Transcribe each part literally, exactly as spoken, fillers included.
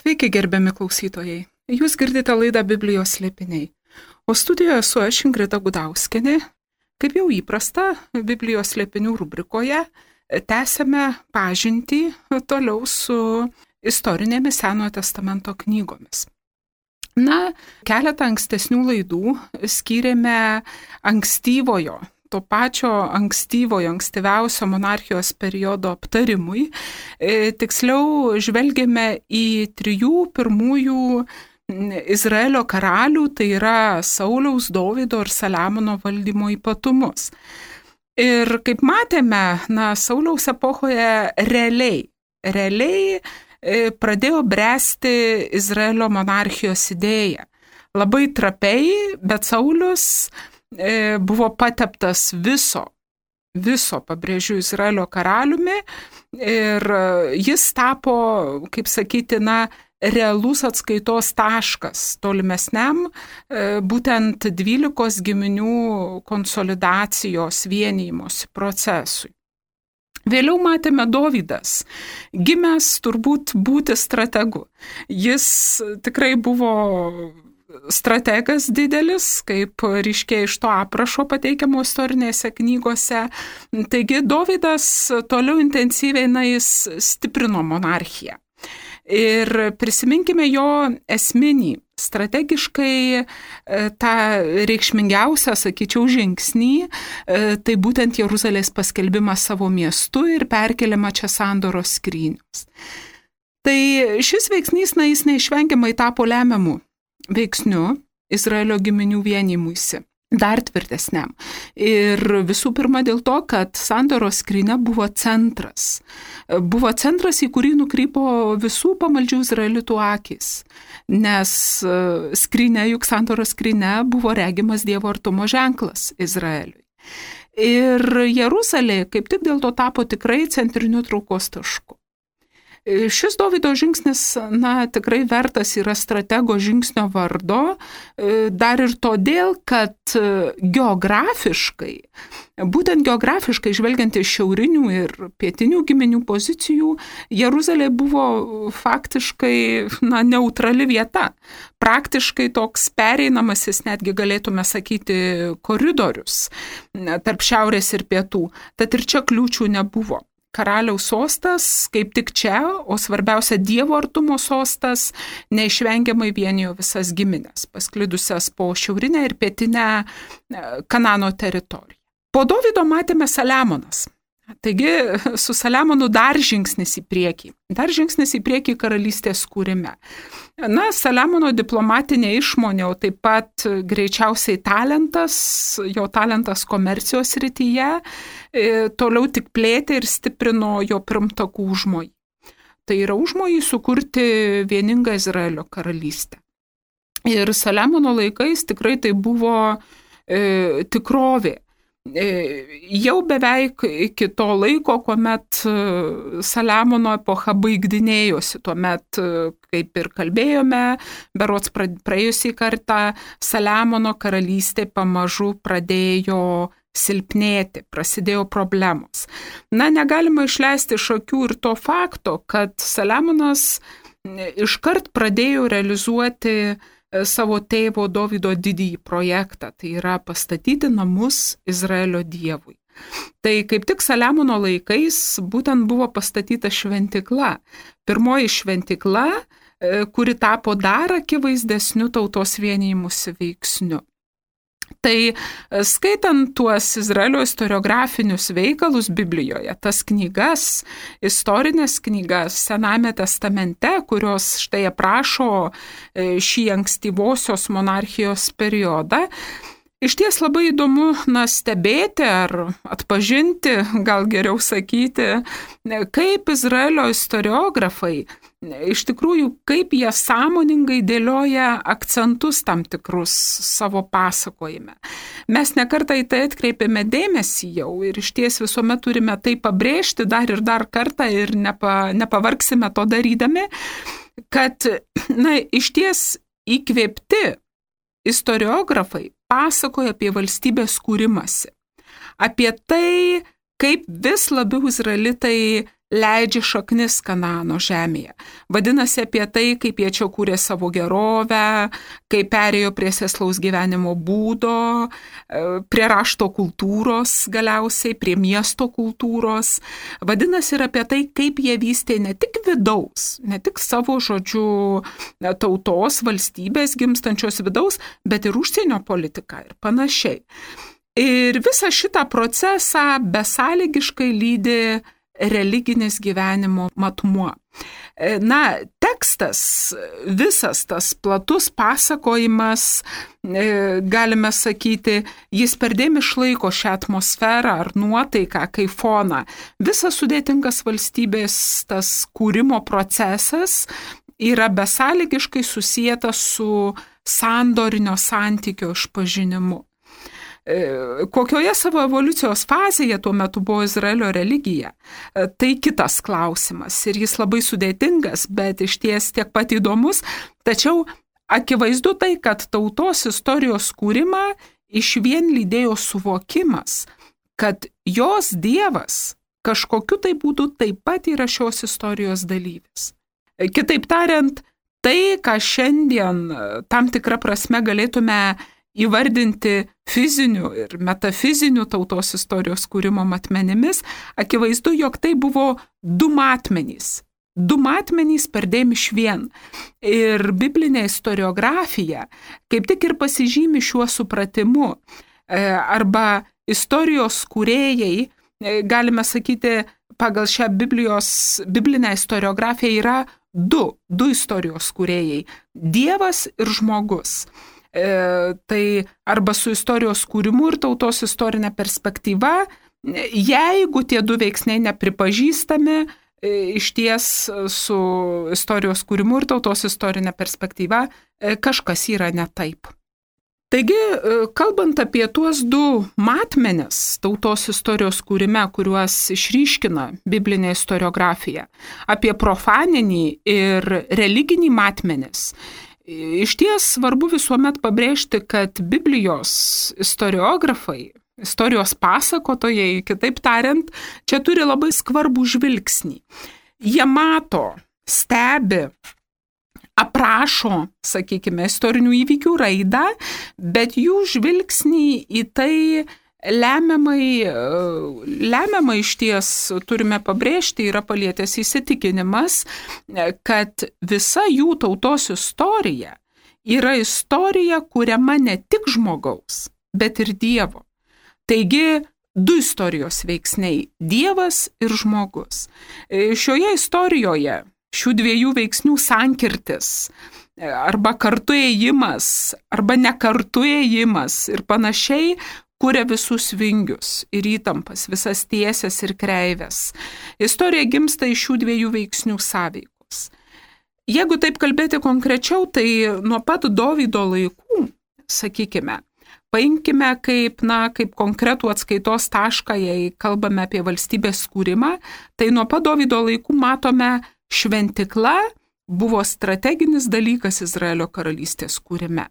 Sveiki, gerbiami klausytojai. Jūs girdite laidą Biblijos slėpiniai. O studijoje esu aš, Ingrida Gudauskienė. Kaip jau įprasta, Biblijos slėpinių rubrikoje tęsiame pažintį toliau su istorinėmis Senojo testamento knygomis. Na, keletą ankstesnių laidų skyrėme ankstyvojo, to pačio ankstyvojo, ankstyviausio monarchijos periodo aptarimui. E, tiksliau, žvelgėme į trijų pirmųjų Izraelio karalių, tai yra Sauliaus, Dovydo ir Saliamono valdymo ypatumus. Ir kaip matėme, na, Sauliaus epochoje realiai, realiai e, pradėjo bręsti Izraelio monarchijos idėja. Labai trapiai, bet Saulius buvo pateptas viso, viso, pabrėžiu, Izraelio karaliumi ir jis tapo, kaip sakyti, na, realus atskaitos taškas tolimesniam būtent dvylikos giminių konsolidacijos vienijimosi procesui. Vėliau matėme Dovydas, gimęs turbūt būti strategu. Jis tikrai buvo strategas didelis, kaip ryškiai iš to aprašo pateikiamo istorinėse knygose. Taigi Dovydas toliau intensyviai na, jis stiprino monarchiją. Ir prisiminkime jo esminį, strategiškai tą reikšmingiausią, sakyčiau, žingsnį, tai būtent Jeruzalės paskelbimas savo miestu ir perkeliama čia sandoros skrynios. Tai šis veiksnys, na, jis neišvengiamai tapo lemiamu veiksniu Izraelio giminių vienimuisi, dar tvirtesniam. Ir visų pirma dėl to, kad sandoros skrynia buvo centras. Buvo centras, į kurį nukrypo visų pamaldžių izraelitų akys, nes skrynia, juk sandoros skrynia buvo regimas Dievo artumo ženklas Izraeliui. Ir Jeruzalė kaip tik dėl to tapo tikrai centriniu traukos tašku. Šis Dovydo žingsnis, na, tikrai vertas yra stratego žingsnio vardo, dar ir todėl, kad geografiškai, būtent geografiškai žvelgiant iš šiaurinių ir pietinių giminių pozicijų, Jeruzalė buvo faktiškai, na, neutrali vieta. Praktiškai toks pereinamasis, netgi galėtume sakyti, koridorius tarp šiaurės ir pietų. Tad ir čia kliūčių nebuvo. Karaliaus sostas, kaip tik čia, o svarbiausia Dievo artumo sostas, neišvengiamai vienijo visas giminės, pasklidusias po šiaurinę ir pietinę Kanano teritoriją. Po Dovydo matėme Saliamonas. Taigi su Saliamonu dar žingsnis į priekį, dar žingsnis į priekį karalystės kūrime. Na, Saliamono diplomatinė išmonė, o taip pat greičiausiai talentas, jo talentas komercijos srityje, toliau tik plėtė ir stiprino jo pirmtakų užmojį. Tai yra užmojį sukurti vieningą Izraelio karalystę. Ir Saliamono laikais tikrai tai buvo e, tikrovė. Jau beveik iki to laiko, kuomet Saliamono epocha baigdinėjosi, tuomet, kaip ir kalbėjome, berods praėjusį kartą, Saliamono karalystė pamažu pradėjo silpnėti, prasidėjo problemos. Na, negalima išleisti iš akių ir to fakto, kad Saliamonas iškart pradėjo realizuoti savo tėvo Dovydo didįjį projektą, tai yra pastatyti namus Izraelio Dievui. Tai kaip tik Saliamono laikais būtent buvo pastatyta šventykla. Pirmoji šventykla, kuri tapo dar akivaizdesniu tautos vienijimusi veiksniu. Tai skaitant tuos Izraelio istoriografinius veikalus Biblijoje, tas knygas, istorinės knygas Senajame testamente, kurios štai aprašo šį ankstyvosios monarchijos periodą, iš ties labai įdomu, na, stebėti ar atpažinti, gal geriau sakyti, kaip Izraelio istoriografai, iš tikrųjų, kaip jie sąmoningai dėlioja akcentus tam tikrus savo pasakojime. Mes nekartą į tai atkreipėme dėmesį jau ir iš ties visuomet turime tai pabrėžti dar ir dar kartą ir nepa, nepavargsime to darydami, kad, na, iš ties įkvėpti istoriografai pasakoja apie valstybės kūrimąsi, apie tai, kaip vis labiau izraelitai leidžia šaknis Kanaano žemėje. Vadinasi apie tai, kaip jie čia kūrė savo gerovę, kaip perėjo prie sėslaus gyvenimo būdo, prie rašto kultūros galiausiai, prie miesto kultūros. Vadinasi ir apie tai, kaip jie vystė ne tik vidaus, ne tik savo žodžių tautos, valstybės gimstančios vidaus, bet ir užsienio politiką ir panašiai. Ir visą šitą procesą besąlygiškai lydi religinis gyvenimo matmuo. Na, tekstas, visas tas platus pasakojimas, galime sakyti, jis perdėm išlaiko šią atmosferą ar nuotaiką kaip foną. Visas sudėtingas valstybės tas kūrimo procesas yra besąlygiškai susietas su sandorinio santykio išpažinimu. Kokioje savo evoliucijos fazėje tuo metu buvo Izraelio religija, tai kitas klausimas ir jis labai sudėtingas, bet išties tiek pat įdomus, tačiau akivaizdu tai, kad tautos istorijos kūrimą išvien lydėjo suvokimas, kad jos Dievas kažkokiu tai būdu taip pat yra šios istorijos dalyvis. Kitaip tariant, tai, ką šiandien tam tikrą prasme galėtume įvardinti fizinių ir metafizinių tautos istorijos kūrimo matmenimis, akivaizdu, jog tai buvo du matmenys. Du matmenys perdėm išvien. Ir biblinė istoriografija kaip tik ir pasižymi šiuo supratimu. Arba istorijos kūrėjai, galime sakyti, pagal šią Biblijos, biblinę istoriografiją yra du, du istorijos kūrėjai – Dievas ir žmogus. E, tai arba su istorijos kūrimu ir tautos istorinė perspektyva, jeigu tie du veiksniai nepripažįstami, e, išties su istorijos kūrimu ir tautos istorinė perspektyva e, kažkas yra ne taip. Taigi, kalbant apie tuos du matmenis tautos istorijos kūrime, kuriuos išryškina biblinė istoriografija, apie profaninį ir religinį matmenis, iš ties svarbu visuomet pabrėžti, kad Biblijos istoriografai, istorijos pasakotojai, kitaip tariant, čia turi labai skvarbų žvilgsnį. Jie mato, stebi, aprašo, sakykime, istorinių įvykių raidą, bet jų žvilgsnį į tai lemiamai, lemiamai išties turime pabrėžti, yra palietęs įsitikinimas, kad visa jų tautos istorija yra istorija kuriama ne tik žmogaus, bet ir Dievo. Taigi, du istorijos veiksniai – Dievas ir žmogus. Šioje istorijoje šių dviejų veiksnių sankirtis arba kartu ėjimas, arba nekartu ėjimas ir panašiai kuria visus vingius ir įtampas, visas tiesės ir kreivės. Istorija gimsta iš šių dviejų veiksnių sąveikos. Jeigu taip kalbėti konkrečiau, tai nuo pat Dovydo laikų, sakykime, paimkime kaip, na, kaip konkretų atskaitos tašką, jei kalbame apie valstybės kūrimą, tai nuo pat Dovydo laikų matome, šventikla buvo strateginis dalykas Izraelio karalystės kūrime.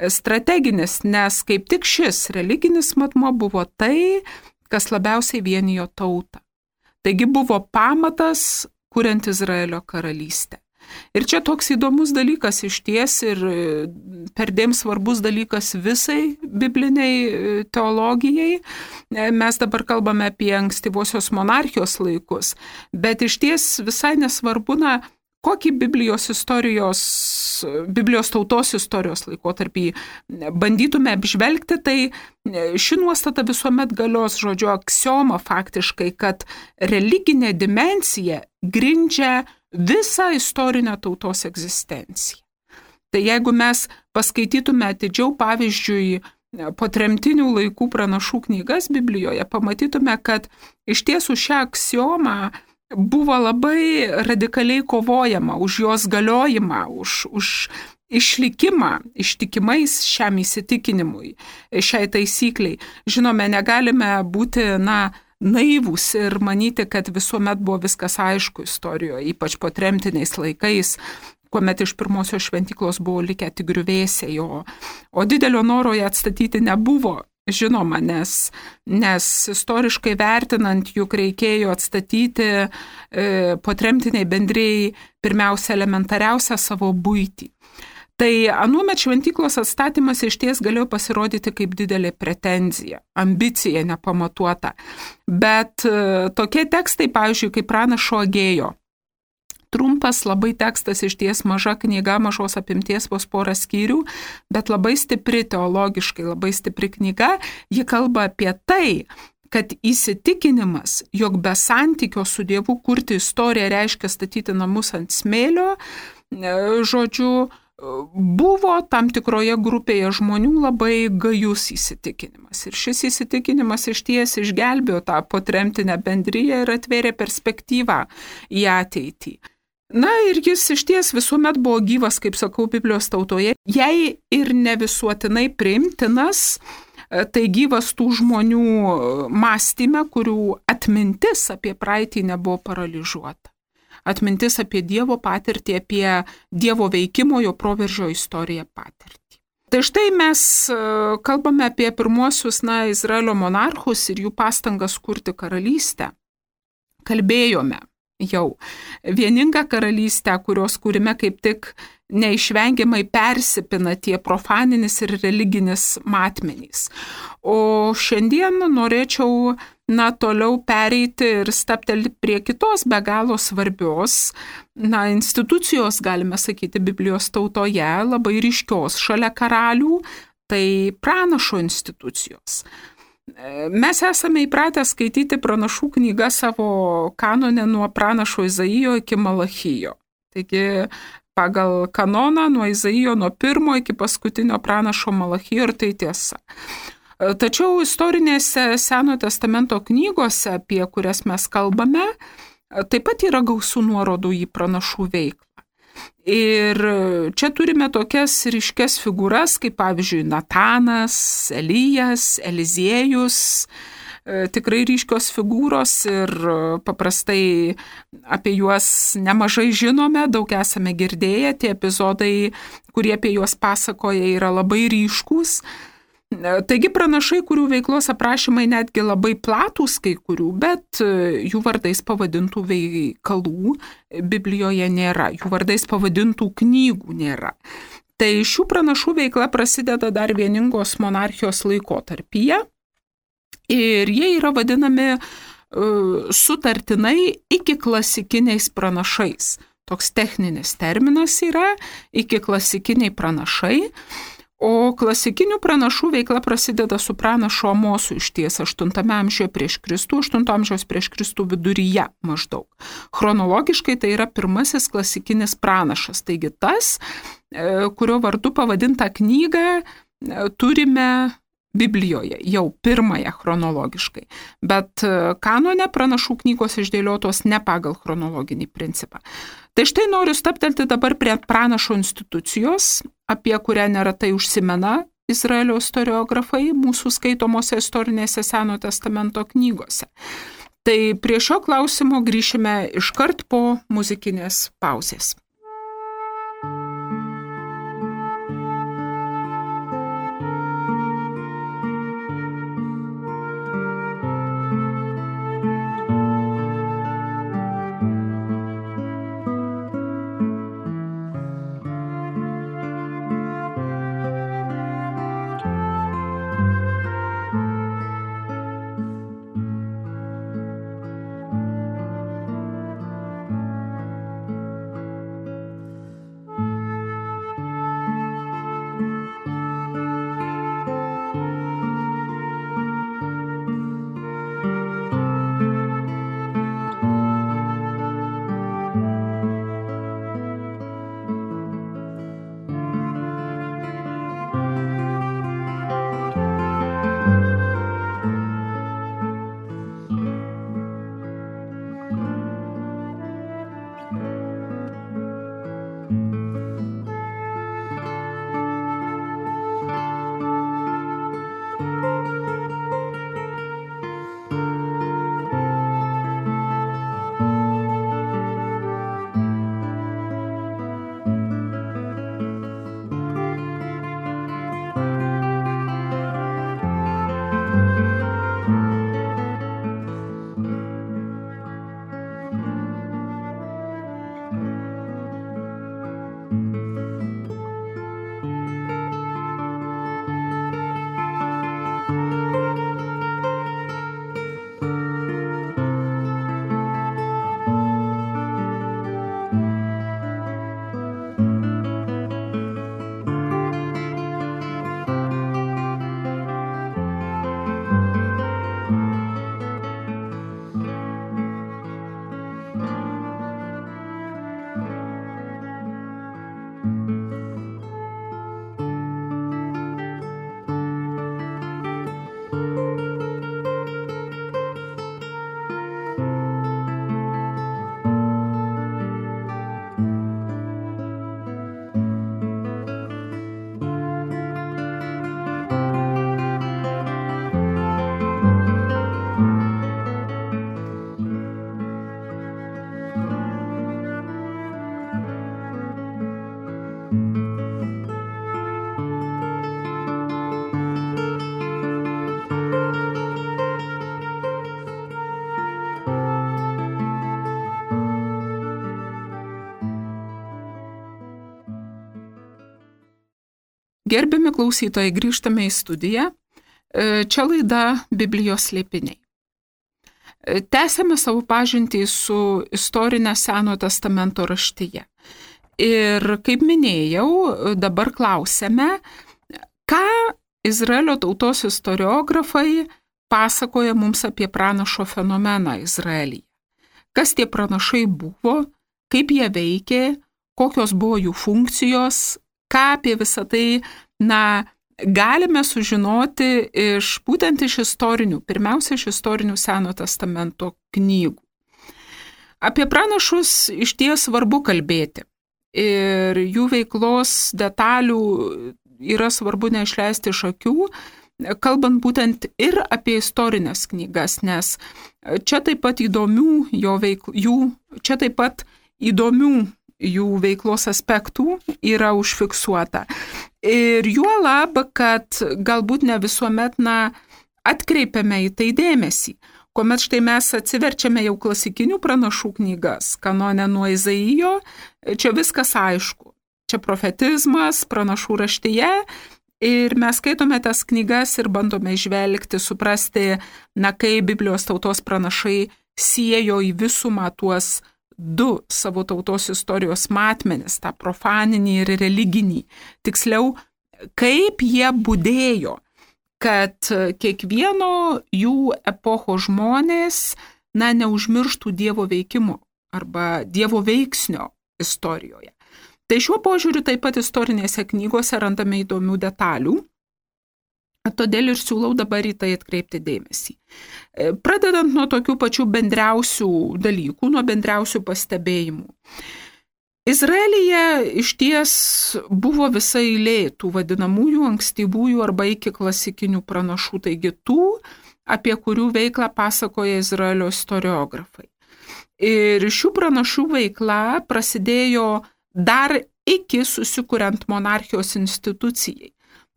Strateginis, nes kaip tik šis religinis matmuo buvo tai, kas labiausiai vienijo tautą. Taigi buvo pamatas, kuriant Izraelio karalystę. Ir čia toks įdomus dalykas iš ties ir perdėm svarbus dalykas visai bibliniai teologijai. Mes dabar kalbame apie ankstyvosios monarchijos laikus, bet iš ties visai nesvarbu, na, kokį Biblijos istorijos, Biblijos tautos istorijos laikotarpį bandytume apžvelgti, tai ši nuostata visuomet galios, žodžiu, aksioma faktiškai, kad religinė dimensija grindžia visą istorinę tautos egzistenciją. Tai jeigu mes paskaitytume atidžiau, pavyzdžiui, po tremtinių laikų pranašų knygas Biblijoje, pamatytume, kad iš tiesų šią aksiomą buvo labai radikaliai kovojama už jos galiojimą, už, už išlikimą ištikimais šiam įsitikinimui, šiai taisykliai. Žinome, negalime būti, na, naivūs ir manyti, kad visuomet buvo viskas aišku istorijoje, ypač po tremtiniais laikais, kuomet iš pirmosios šventyklos buvo likę tik griuvėsiai, o, o didelio noro ją atstatyti nebuvo. žinoma, nes, nes istoriškai vertinant, juk reikėjo atstatyti e, potremtiniai bendrijai pirmiausia elementariausią savo buitį. Tai anuomet šventyklos atstatymas išties galėjo pasirodyti kaip didelė pretenzija, ambicija nepamatuota. Bet e, tokie tekstai, pavyzdžiui, kaip pranašo Agėjo, trumpas labai tekstas, išties maža knyga, mažos apimties vos porą skyrių, bet labai stipri teologiškai, labai stipri knyga. Ji kalba apie tai, kad įsitikinimas, jog be santykio su Dievu kurti istoriją reiškia statyti namus ant smėlio, žodžiu, buvo tam tikroje grupėje žmonių labai gajus įsitikinimas. Ir šis įsitikinimas išties išgelbėjo tą potremtinę bendriją ir atvėrė perspektyvą į ateitį. Na ir jis išties visuomet buvo gyvas, kaip sakau, Biblijos tautoje, jei ir ne visuotinai priimtinas, tai gyvas tų žmonių mąstyme, kurių atmintis apie praeitį nebuvo paralyžiuota. Atmintis apie Dievo patirtį, apie Dievo veikimo, jo proveržio istoriją patirtį. Tai štai mes kalbame apie pirmuosius, na, Izraelio monarchus ir jų pastangas kurti karalystę. Kalbėjome jau vieningą karalystę, kurios kūrime kaip tik neišvengiamai persipina tie profaninis ir religinis matmenys. O šiandien norėčiau, na, toliau pereiti ir staptelti prie kitos be galo svarbios, na, institucijos, galime sakyti, Biblijos tautoje, labai ryškios šalia karalių, tai pranašo institucijos. Mes esame įpratę skaityti pranašų knygą savo kanone nuo pranašo Izaijo iki Malachijo. Taigi pagal kanoną nuo Izaijo nuo pirmo iki paskutinio pranašo Malachijo ir tai tiesa. Tačiau istorinėse Senojo testamento knygose, apie kurias mes kalbame, taip pat yra gausų nuorodų į pranašų veiklą. Ir čia turime tokias ryškias figūras, kaip pavyzdžiui Natanas, Elijas, Eliziejus, tikrai ryškios figūros ir paprastai apie juos nemažai žinome, daug esame girdėję, tie epizodai, kurie apie juos pasakoja, yra labai ryškūs. Taigi pranašai, kurių veiklos aprašymai netgi labai platūs kai kurių, bet jų vardais pavadintų veikalų Biblijoje nėra, jų vardais pavadintų knygų nėra. Tai šių pranašų veikla prasideda dar vieningos monarchijos laikotarpyje ir jie yra vadinami uh, sutartinai iki klasikiniais pranašais. Toks techninis terminas yra iki klasikiniai pranašai. O klasikinių pranašų veikla prasideda su pranašo Amosu išties aštuntame amžiuje prieš Kristų, aštunto amžiaus prieš Kristų viduryje maždaug. Chronologiškai tai yra pirmasis klasikinis pranašas. Taigi tas, kurio vardu pavadintą knygą turime Biblijoje, jau pirmąją chronologiškai. Bet kanone pranašų knygos išdėliotos ne pagal chronologinį principą. Tai štai noriu staptelti dabar prie pranašo institucijos, apie kurią neretai užsimena Izraelio istoriografai mūsų skaitomose istorinėse Senojo testamento knygose. Tai prie šio klausimo grįšime iškart po muzikinės pauzės. Gerbiami klausytojai, grįžtame į studiją. Čia laida Biblijos slėpiniai. Tęsėme savo pažintį su istorinė Senojo testamento raštija. Ir kaip minėjau, dabar klausėme, ką Izraelio tautos istoriografai pasakoja mums apie pranašo fenomeną Izraelyje. Kas tie pranašai buvo, kaip jie veikė, kokios buvo jų funkcijos, ką apie visą tai, na, galime sužinoti iš, būtent iš istorinių, pirmiausia iš istorinių Senojo testamento knygų. Apie pranašus iš ties svarbu kalbėti ir jų veiklos detalių yra svarbu neišleisti iš akių, kalbant būtent ir apie istorinės knygas, nes čia taip pat įdomių jo veikl... jų, čia taip pat įdomių jų veiklos aspektų yra užfiksuota. Ir juolab, kad galbūt ne visuomet na, atkreipiame į tai dėmesį. Kuomet štai mes atsiverčiame jau klasikinių pranašų knygas, kanone nuo Izaijo, čia viskas aišku. Čia profetizmas, pranašų raštyje ir mes skaitome tas knygas ir bandome žvelgti, suprasti, na, kaip Biblijos tautos pranašai siejo į visumą tuos du savo tautos istorijos matmenis, tą profaninį ir religinį. Tiksliau, kaip jie budėjo, kad kiekvieno jų epocho žmonės, na, neužmirštų Dievo veikimo arba Dievo veiksnio istorijoje. Tai šiuo požiūriu taip pat istorinėse knygose randame įdomių detalių, todėl ir siūlau dabar į tai atkreipti dėmesį. Pradedant nuo tokių pačių bendriausių dalykų, nuo bendriausių pastebėjimų. Izraelyje iš ties buvo visa eilė tų vadinamųjų ankstyvųjų arba iki klasikinių pranašų, taigi tų, apie kurių veiklą pasakoja Izraelio istoriografai. Ir šių pranašų veikla prasidėjo dar iki susikuriant monarchijos institucijai.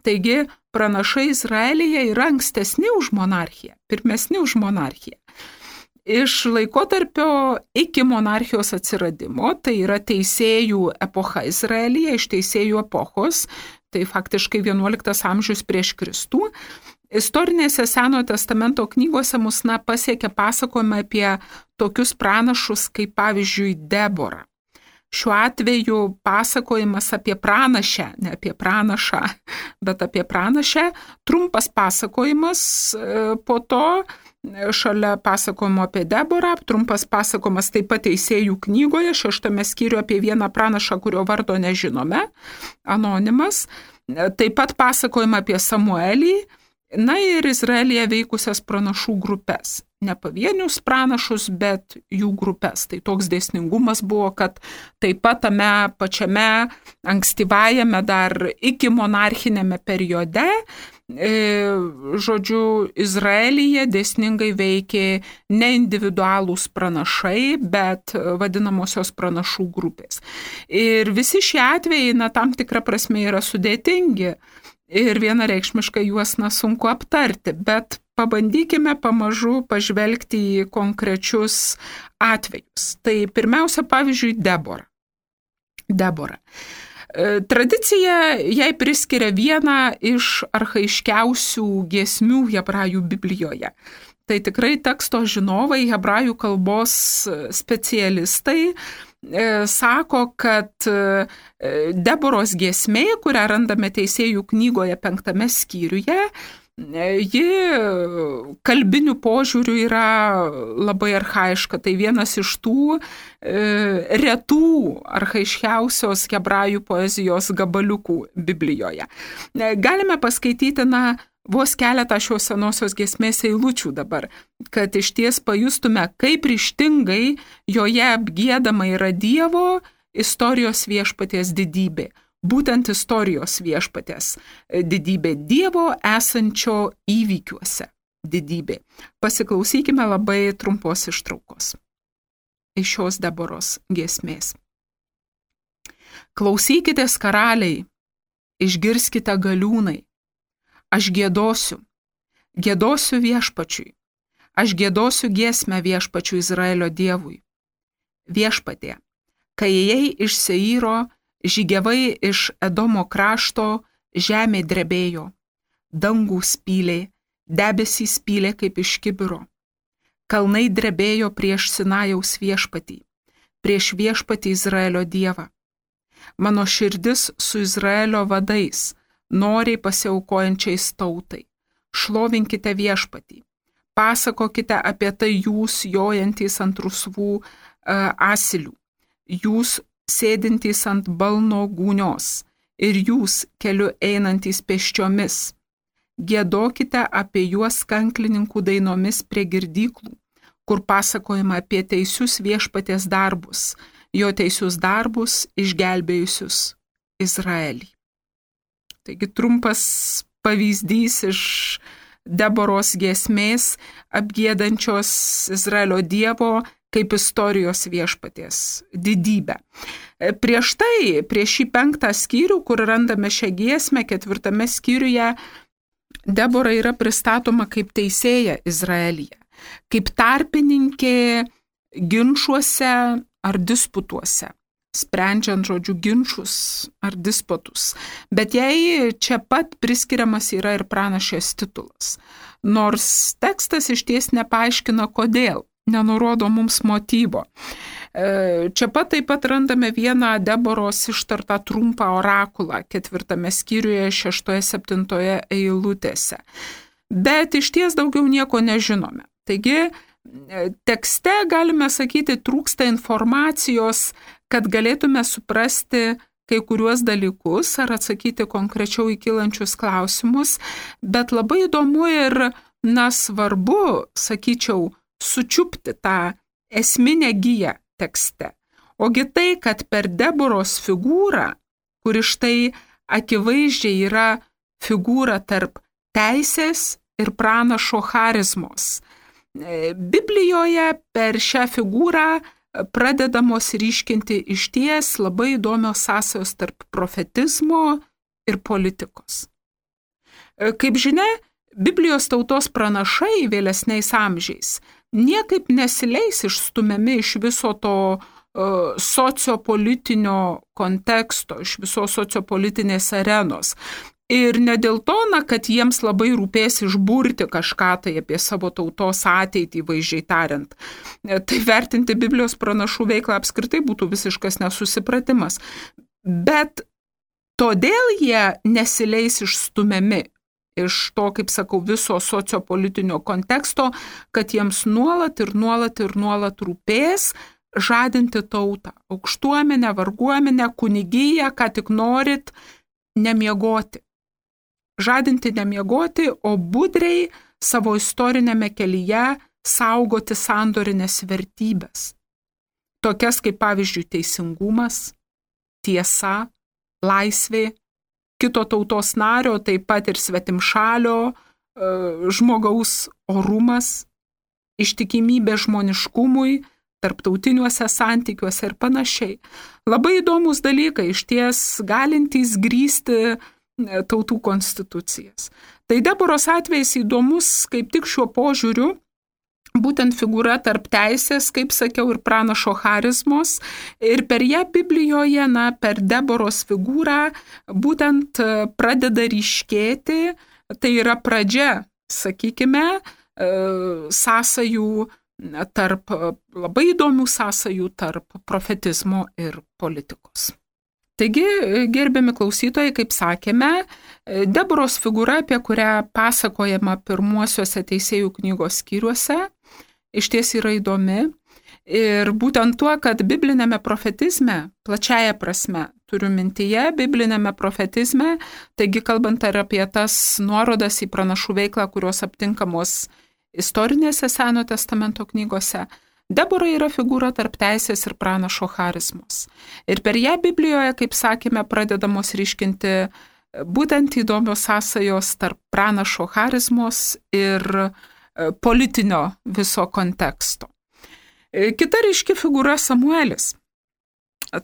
Taigi, pranašai Izraelyje yra ankstesni už monarchiją, pirmesni už monarchiją. Iš laikotarpio iki monarchijos atsiradimo, tai yra teisėjų epocha Izraelyje, iš teisėjų epochos, tai faktiškai vienuoliktas amžius prieš Kristų, istorinėse Senojo testamento knygose mus na, pasiekia pasakojimą apie tokius pranašus kaip pavyzdžiui Deborą. Šiuo atveju pasakojimas apie pranašę, ne apie pranašą, bet apie pranašę, trumpas pasakojimas, po to šalia pasakojimo apie Deborą, trumpas pasakojimas taip pat teisėjų knygoje, šeštame skyriuje apie vieną pranašą, kurio vardo nežinome, anonimas, taip pat pasakojimą apie Samuelį, na ir Izraelyje veikusias pranašų grupės. Ne pavienius pranašus, bet jų grupės. Tai toks dėsningumas buvo, kad taip pat tame pačiame ankstyvajame dar iki monarchinėme periode, e, žodžiu, Izraelyje dėsningai veikė ne individualūs pranašai, bet vadinamosios pranašų grupės. Ir visi šie atvejai, na, tam tikra prasme yra sudėtingi. Ir vienareikšmiškai juos na, sunku aptarti, bet pabandykime pamažu pažvelgti į konkrečius atvejus. Tai pirmiausia, pavyzdžiui, Debora. Debora. Tradicija jai priskiria vieną iš archaiškiausių giesmių hebrajų Biblijoje. Tai tikrai teksto žinovai, hebrajų kalbos specialistai sako, kad Deboros giesmė, kurią randame teisėjų knygoje penktame skyriuje, ji kalbinių požiūrių yra labai archaiška. Tai vienas iš tų retų archaiškiausios hebrajų poezijos gabaliukų Biblijoje. Galime paskaityti, na, vos keletą šios senosios giesmės eilučių dabar, kad iš ties pajustume, kaip ryžtingai joje apgiedama yra Dievo istorijos viešpaties didybė. Būtent istorijos viešpaties didybė, Dievo esančio įvykiuose didybė. Pasiklausykime labai trumpos ištraukos iš šios Deboros giesmės. Klausykitės karaliai, išgirskite galiūnai. Aš giedosiu, giedosiu viešpačiui, aš giedosiu giesmę viešpačiui Izraelio Dievui. Viešpatie, kai ėjai iš Seiro, žygiavai iš Edomo krašto, žemė drebėjo, dangų spylė, debesys spylė kaip iš kibiro. Kalnai drebėjo prieš Sinajaus viešpatį, prieš viešpatį Izraelio dievą. Mano širdis su Izraelio vadais, noriai pasiaukojančiais tautai. Šlovinkite viešpatį. Pasakokite apie tai jūs jojantys ant rusvų uh, asilių, jūs sėdintys ant balno gūnios ir jūs keliu einantys pėsčiomis. Giedokite apie juos kanklininkų dainomis prie girdyklų, kur pasakojama apie teisius viešpaties darbus, jo teisius darbus išgelbėjusius Izraelį. Taigi trumpas pavyzdys iš Deboros giesmės apgiedančios Izraelio dievo kaip istorijos viešpaties didybę. Prieš tai, prieš šį penktą skyrių, kur randame šią giesmę, ketvirtame skyriuje, Debora yra pristatoma kaip teisėja Izraelyje, kaip tarpininkė ginčuose ar disputuose, sprendžiant žodžių ginčus ar disputus. Bet jai čia pat priskiriamas yra ir pranašės titulas. Nors tekstas išties nepaaiškina kodėl, nenurodo mums motyvo. Čia pat taip pat randame vieną Deboros ištartą trumpą orakulą ketvirtame skyriuje šeštoje septintoje eilutėse. Bet išties daugiau nieko nežinome. Taigi, tekste, galime sakyti, trūksta informacijos, kad galėtume suprasti kai kuriuos dalykus ar atsakyti konkrečiau į kylančius klausimus, bet labai įdomu ir, na, svarbu, sakyčiau, sučiupti tą esminę giją tekste. Ogi tai, kad per Deboros figūrą, kuri štai akivaizdžiai yra figūra tarp teisės ir pranašo charizmos. Biblijoje per šią figūrą pradedamos ryškinti išties labai įdomios sąsajos tarp profetizmo ir politikos. Kaip žinia, Biblijos tautos pranašai vėlesniais amžiais niekaip nesileis išstumiami iš viso to uh, sociopolitinio konteksto, iš visos sociopolitinės arenos. Ir ne dėl to, na, kad jiems labai rūpės išburti kažką tai apie savo tautos ateitį, vaizdžiai tariant. Tai vertinti Biblijos pranašų veiklą apskritai būtų visiškas nesusipratimas. Bet todėl jie nesileis išstumiami iš to, kaip sakau, viso sociopolitinio konteksto, kad jiems nuolat ir nuolat ir nuolat rūpės žadinti tautą, aukštuomenę, varguomenę, kunigiją, ką tik norit, nemiegoti. Žadinti nemiegoti, o budriai savo istorinėme kelyje saugoti sandorinės vertybės. Tokias kaip pavyzdžiui teisingumas, tiesa, laisvė, kito tautos nario, taip pat ir svetimšalio, žmogaus orumas, ištikimybė žmoniškumui, tarptautiniuose santykiuose ir panašiai. Labai įdomus dalykai, išties galintys grįsti tautų konstitucijas. Tai Deboros atvejs įdomus kaip tik šiuo požiūriu, būtent figūra tarp teisės, kaip sakiau, ir pranašo charizmos. Ir per ją Biblijoje, na, per Deboros figūrą būtent pradeda ryškėti, tai yra pradžia, sakykime, sąsajų tarp, labai įdomių sąsajų tarp profetizmo ir politikos. Taigi, gerbiami klausytojai, kaip sakėme, Deboros figūra, apie kurią pasakojama pirmuosiuose teisėjų knygos skyriuose, iš ties yra įdomi. Ir būtent tuo, kad biblinėme profetizme, plačiaja prasme, turiu mintyje, biblinėme profetizme, taigi kalbant ar apie tas nuorodas į pranašų veiklą, kurios aptinkamos istorinėse Senojo testamento knygose, Debora yra figūra tarp teisės ir pranašo charizmos. Ir per ją Biblijoje, kaip sakėme, pradedamos ryškinti būtent įdomios sąsajos tarp pranašo charizmos ir politinio viso konteksto. Kita ryški figūra Samuelis.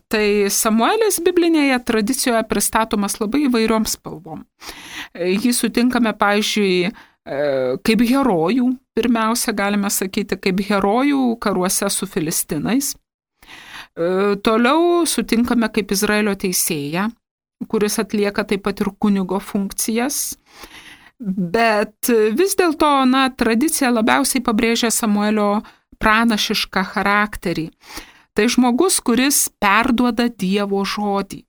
Tai Samuelis biblinėje tradicijoje pristatomas labai įvairiom spalvom. Jį sutinkame, pavyzdžiui, kaip herojų, pirmiausia galime sakyti, kaip herojų karuose su filistinais. Toliau sutinkame kaip Izraelio teisėją, kuris atlieka taip pat ir kunigo funkcijas. Bet vis dėlto, na, tradicija labiausiai pabrėžia Samuelio pranašišką charakterį. Tai žmogus, kuris perduoda Dievo žodį.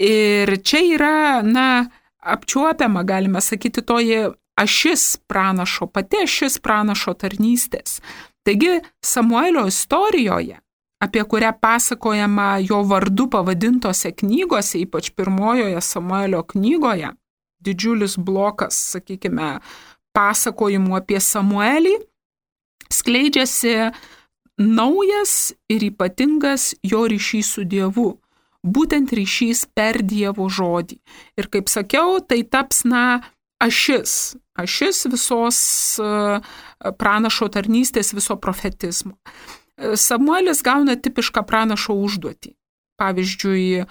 Ir čia yra, na, apčiuopiama, galime sakyti, toji ašis pranašo, pati ašis pranašo tarnystės. Taigi Samuelio istorijoje, apie kurią pasakojama jo vardu pavadintose knygose, ypač pirmojoje Samuelio knygoje, didžiulis blokas, sakykime, pasakojimų apie Samuelį, skleidžiasi naujas ir ypatingas jo ryšys su Dievu, būtent ryšys per Dievo žodį. Ir kaip sakiau, tai taps, na, ašis, ašis visos pranašo tarnystės, viso profetizmo. Samuelis gauna tipišką pranašo užduotį. Pavyzdžiui,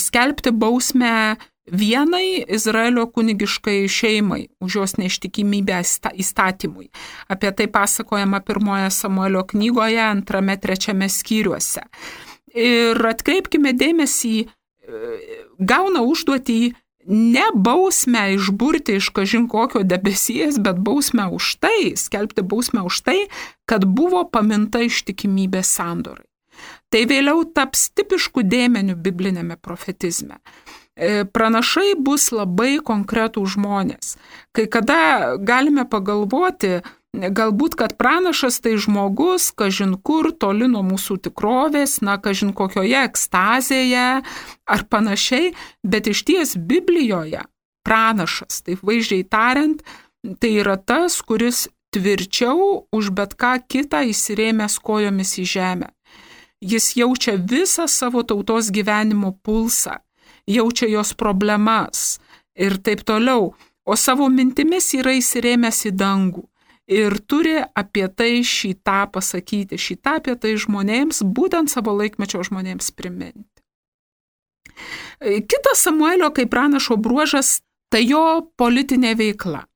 skelbti bausmę vienai Izraelio kunigiškai šeimai už jos neištikimybę įstatymui. Apie tai pasakojama pirmoje Samuelio knygoje, antrame, trečiame skyriuose. Ir atkreipkime dėmesį, gauna užduotį ne bausmę išburti iš kažin kokio debesies, bet bausmę už tai, skelbti bausmę už tai, kad buvo paminta ištikimybė sandorai. Tai vėliau taps tipišku dėmeniu biblinėme profetizme. Pranašai bus labai konkretų žmonės. Kai kada galime pagalvoti, galbūt, kad pranašas tai žmogus, kažin kur, toli nuo mūsų tikrovės, na, kažin kokioje ekstazėje ar panašiai, bet iš ties Biblijoje pranašas, taip vaizdžiai tariant, tai yra tas, kuris tvirčiau už bet ką kitą įsirėmęs kojomis į žemę. Jis jaučia visą savo tautos gyvenimo pulsą, jaučia jos problemas ir taip toliau, o savo mintimis yra įsirėmęs į dangų ir turi apie tai šitą pasakyti, šitą apie tai žmonėms, būtent savo laikmečio žmonėms priminti. Kitas Samuelio kaip pranašo bruožas – tai jo politinė veikla.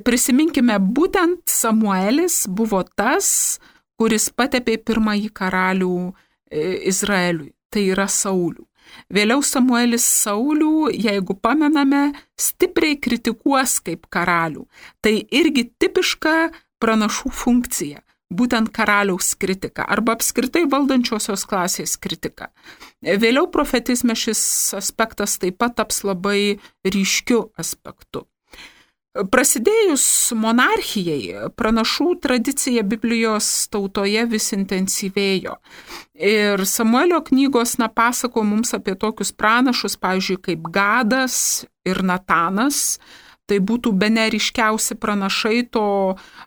Prisiminkime, būtent Samuelis buvo tas, kuris patepė pirmąjį karalių Izraeliui, tai yra Saulių. Vėliau Samuelis Saulių, jeigu pamename, stipriai kritikuos kaip karalių. Tai irgi tipiška pranašų funkcija, būtent karaliaus kritika arba apskritai valdančiosios klasės kritika. Vėliau profetizme šis aspektas taip pat taps labai ryškiu aspektu. Prasidėjus monarchijai, pranašų tradicija Biblijos tautoje vis intensyvėjo. Ir Samuelio knygos na, pasako mums apie tokius pranašus, pavyzdžiui, kaip Gadas ir Natanas. Tai būtų bene ryškiausi pranašai to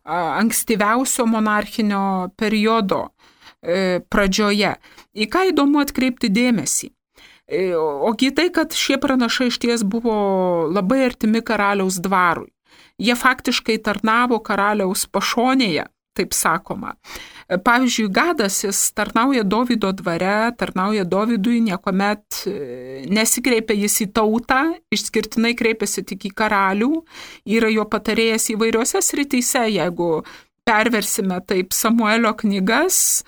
ankstyviausio monarchinio periodo pradžioje. Į ką įdomu atkreipti dėmesį? Ogi tai, kad šie pranašai išties buvo labai artimi karaliaus dvarui. Jie faktiškai tarnavo karaliaus pašonėje, taip sakoma. Pavyzdžiui, Gadas, jis tarnauja Dovydo dvare, tarnauja Dovydui, niekuomet nesikreipia jis į tautą, išskirtinai kreipiasi tik į karalių, yra jo patarėjas įvairiose srityse, jeigu perversime taip Samuelio knygas,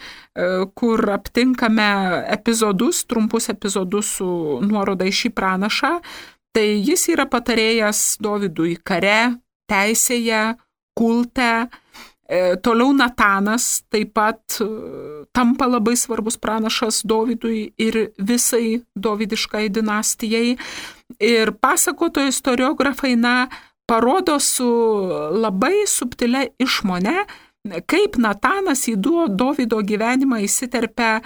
kur aptinkame epizodus, trumpus epizodus su nuoroda į šį pranašą, tai jis yra patarėjas Dovydui kare, teisėje, kulte. Toliau Natanas taip pat tampa labai svarbus pranašas Dovydui ir visai dovydiškai dinastijai. Ir pasakotojų istoriografai na, parodo su labai subtilia išmone, kaip Natanas į Dovydo gyvenimą įsiterpia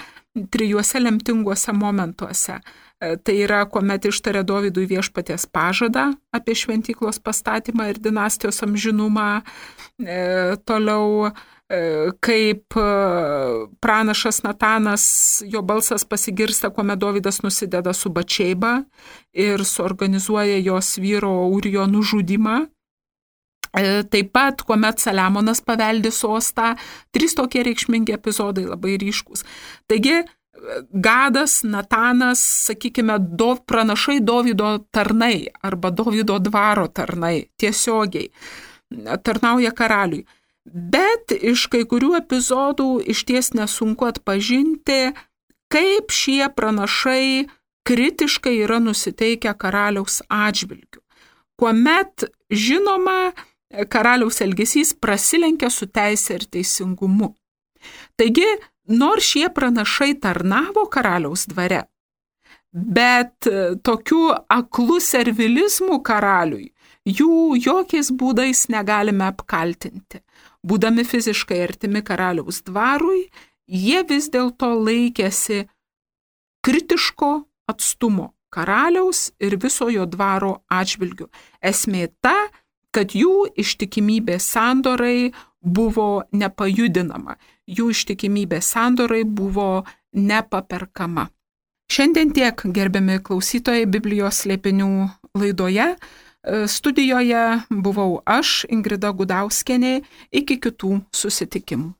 trijuose lemtinguose momentuose. Tai yra, kuomet ištarė Dovydui viešpaties pažadą apie šventyklos pastatymą ir dinastijos amžinumą. E, toliau, e, kaip pranašas Natanas, jo balsas pasigirsta, kuomet Dovydas nusideda su Batšeiba ir suorganizuoja jos vyro Urijo nužudymą. E, taip pat, kuomet Saliamonas paveldi sostą, trys tokie reikšmingi epizodai labai ryškūs. Taigi, Gadas, Natanas, sakykime, do, pranašai Dovydo tarnai arba Dovydo dvaro tarnai tiesiogiai tarnauja karaliui. Bet iš kai kurių epizodų išties nesunku atpažinti, kaip šie pranašai kritiškai yra nusiteikę karaliaus atžvilgiu, kuomet, žinoma, karaliaus elgesys prasilenkia su teise ir teisingumu. Taigi, nors šie pranašai tarnavo karaliaus dvare, bet tokiu aklu servilizmu karaliui jų jokiais būdais negalime apkaltinti. Būdami fiziškai artimi karaliaus dvarui, jie vis dėlto laikėsi kritiško atstumo karaliaus ir viso jo dvaro atžvilgiu. Esmė ta, kad jų ištikimybė sandorai buvo nepajudinama, jų ištikimybė sandorai buvo nepaperkama. Šiandien tiek, gerbiami klausytojai, Biblijos slėpinių laidoje. Studijoje buvau aš, Ingrida Gudauskienė, iki kitų susitikimų.